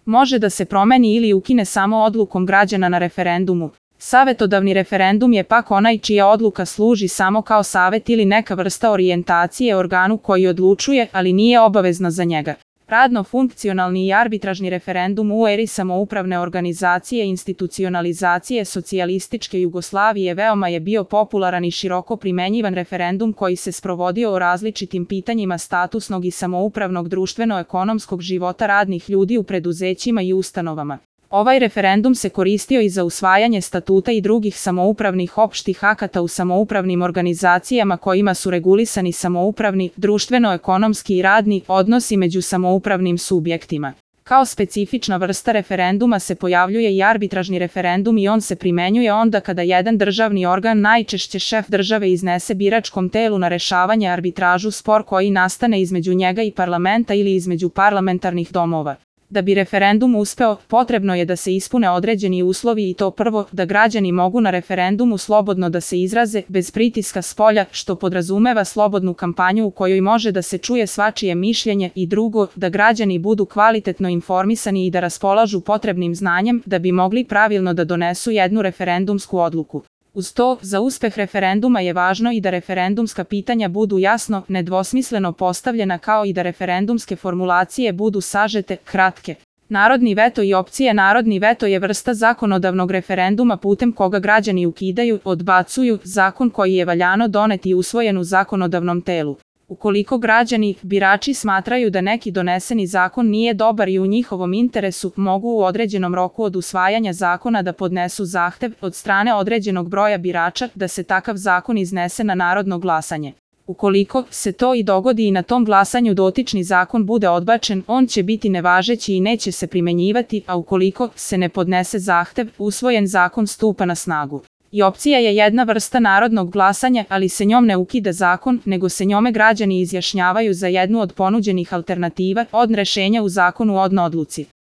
može da se promeni ili ukine samo odlukom građana na referendumu. Savetodavni referendum je pak onaj čija odluka služi samo kao savet ili neka vrsta orijentacije organu koji odlučuje, ali nije obavezna za njega. Radno-funkcionalni i arbitražni referendum u eri samoupravne organizacije i institucionalizacije socijalističke Jugoslavije veoma je bio popularan i široko primenjivan referendum koji se sprovodio o različitim pitanjima statusnog i samoupravnog društveno-ekonomskog života radnih ljudi u preduzećima i ustanovama. Ovaj referendum se koristio i za usvajanje statuta i drugih samoupravnih opštih akata u samoupravnim organizacijama kojima su regulisani samoupravni, društveno-ekonomski i radni odnosi među samoupravnim subjektima. Kao specifična vrsta referenduma se pojavljuje i arbitražni referendum i on se primenjuje onda kada jedan državni organ, najčešće šef države, iznese biračkom telu na rešavanje arbitražu spor koji nastane između njega i parlamenta ili između parlamentarnih domova. Da bi referendum uspeo, potrebno je da se ispune određeni uslovi i to prvo, da građani mogu na referendumu slobodno da se izraze, bez pritiska spolja, što podrazumeva slobodnu kampanju u kojoj može da se čuje svačije mišljenje, i drugo, da građani budu kvalitetno informisani i da raspolažu potrebnim znanjem da bi mogli pravilno da donesu jednu referendumsku odluku. Uz to, za uspeh referenduma je važno i da referendumska pitanja budu jasno, nedvosmisleno postavljena kao i da referendumske formulacije budu sažete, kratke. Narodni veto i opcija. Narodni veto je vrsta zakonodavnog referenduma putem koga građani ukidaju, odbacuju zakon koji je valjano donet i usvojen u zakonodavnom telu. Ukoliko građani, birači, smatraju da neki doneseni zakon nije dobar i u njihovom interesu, mogu u određenom roku od usvajanja zakona da podnesu zahtev od strane određenog broja birača da se takav zakon iznese na narodno glasanje. Ukoliko se to i dogodi i na tom glasanju dotični zakon bude odbačen, on će biti nevažeći i neće se primenjivati, a ukoliko se ne podnese zahtev, usvojen zakon stupa na snagu. I opcija je jedna vrsta narodnog glasanja, ali se njom ne ukida zakon, nego se njome građani izjašnjavaju za jednu od ponuđenih alternativa od rešenja u zakonu o odluci.